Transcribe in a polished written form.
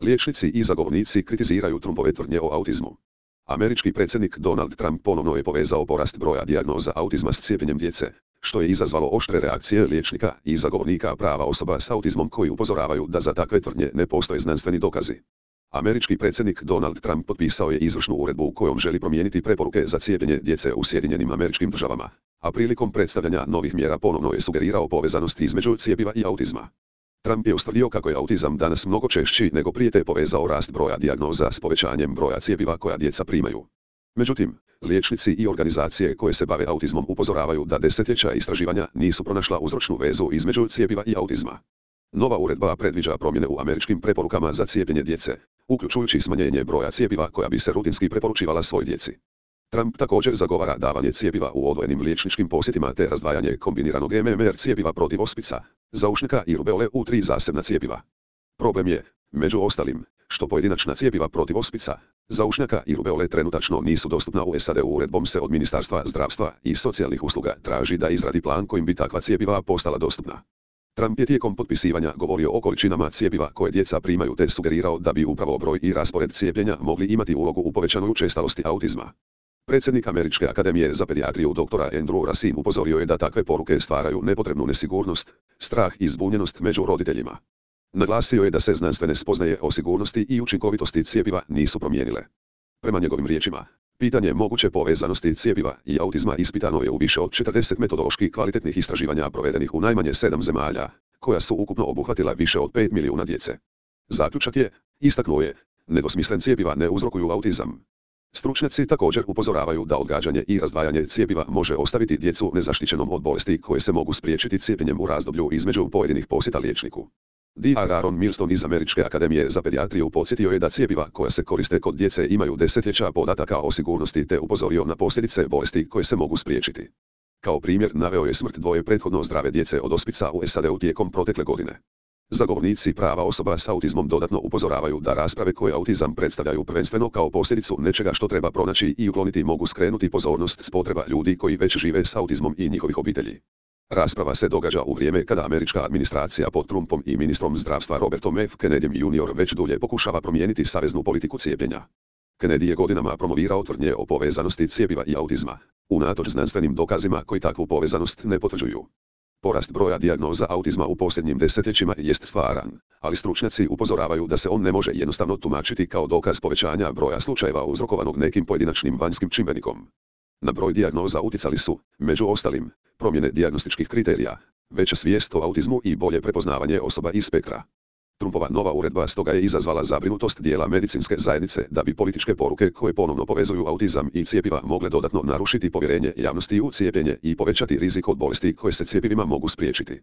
Liječnici i zagovornici kritiziraju Trumpove tvrdnje o autizmu. Američki predsjednik Donald Trump ponovno je povezao porast broja dijagnoza autizma s cijepljenjem djece, što je izazvalo oštre reakcije liječnika i zagovornika prava osoba s autizmom koji upozoravaju da za takve tvrdnje ne postoje znanstveni dokazi. Američki predsjednik Donald Trump potpisao je izvršnu uredbu kojom želi promijeniti preporuke za cijepljenje djece u Sjedinjenim Američkim Državama, a prilikom predstavljanja novih mjera ponovno je sugerirao povezanost između cjepiva i autizma. Trump je ustvrdio kako je autizam danas mnogo češći nego prije te povezao rast broja dijagnoza s povećanjem broja cjepiva koja djeca primaju. Međutim, liječnici i organizacije koje se bave autizmom upozoravaju da desetljeća istraživanja nisu pronašla uzročnu vezu između cjepiva i autizma. Nova uredba predviđa promjene u američkim preporukama za cijepljenje djece, uključujući smanjenje broja cjepiva koja bi se rutinski preporučivala svoj djeci. Trump također zagovara davanje cjepiva u odvojenim liječničkim posjetima te razdvajanje kombiniranog MMR cjepiva protiv ospica, zaušnjaka i rubeole u 3 zasebna cjepiva. Problem je, među ostalim, što pojedinačna cjepiva protiv ospica, zaušnjaka i rubeole trenutačno nisu dostupna u SAD. Uredbom se od Ministarstva zdravstva i socijalnih usluga traži da izradi plan kojim bi takva cjepiva postala dostupna. Trump je tijekom potpisivanja govorio o količinama cjepiva koje djeca primaju te sugerirao da bi upravo broj i raspored cijepljenja mogli imati ulogu u povećanoj učestalosti autizma. Predsjednik Američke akademije za pedijatriju dr. Andrew Racine upozorio je da takve poruke stvaraju nepotrebnu nesigurnost, strah i zbunjenost među roditeljima. Naglasio je da se znanstvene spoznaje o sigurnosti i učinkovitosti cjepiva nisu promijenile. Prema njegovim riječima, pitanje moguće povezanosti cjepiva i autizma ispitano je u više od 40 metodološki kvalitetnih istraživanja provedenih u najmanje 7 zemalja, koja su ukupno obuhvatila više od 5 milijuna djece. Zaključak je, istaknuo je, nedvosmislen cjepiva ne uzrokuju autizam. Stručnjaci također upozoravaju da odgađanje i razdvajanje cjepiva može ostaviti djecu nezaštićenom od bolesti koje se mogu spriječiti cijepljenjem u razdoblju između pojedinih posjeta liječniku. Dr. Aaron Milston iz Američke akademije za pedijatriju podsjetio je da cjepiva koja se koriste kod djece imaju desetljeća podataka o sigurnosti te upozorio na posljedice bolesti koje se mogu spriječiti. Kao primjer naveo je smrt dvoje prethodno zdrave djece od ospica u SAD-u tijekom protekle godine. Zagovornici prava osoba s autizmom dodatno upozoravaju da rasprave koje autizam predstavljaju prvenstveno kao posljedicu nečega što treba pronaći i ukloniti mogu skrenuti pozornost s potreba ljudi koji već žive s autizmom i njihovih obitelji. Rasprava se događa u vrijeme kada američka administracija pod Trumpom i ministrom zdravstva Robertom F. Kennedyjem Jr. već dulje pokušava promijeniti saveznu politiku cijepljenja. Kennedy je godinama promovirao tvrdnje o povezanosti cjepiva i autizma, unatoč znanstvenim dokazima koji takvu povezanost ne potvrđuju. Porast broja dijagnoza autizma u posljednjim desetljećima jest stvaran, ali stručnjaci upozoravaju da se on ne može jednostavno tumačiti kao dokaz povećanja broja slučajeva uzrokovanog nekim pojedinačnim vanjskim čimbenikom. Na broj dijagnoza utjecali su, među ostalim, promjene dijagnostičkih kriterija, veća svijest o autizmu i bolje prepoznavanje osoba iz spektra. Trumpova nova uredba stoga je izazvala zabrinutost dijela medicinske zajednice da bi političke poruke koje ponovno povezuju autizam i cjepiva mogle dodatno narušiti povjerenje javnosti u cijepljenje i povećati rizik od bolesti koje se cjepivima mogu spriječiti.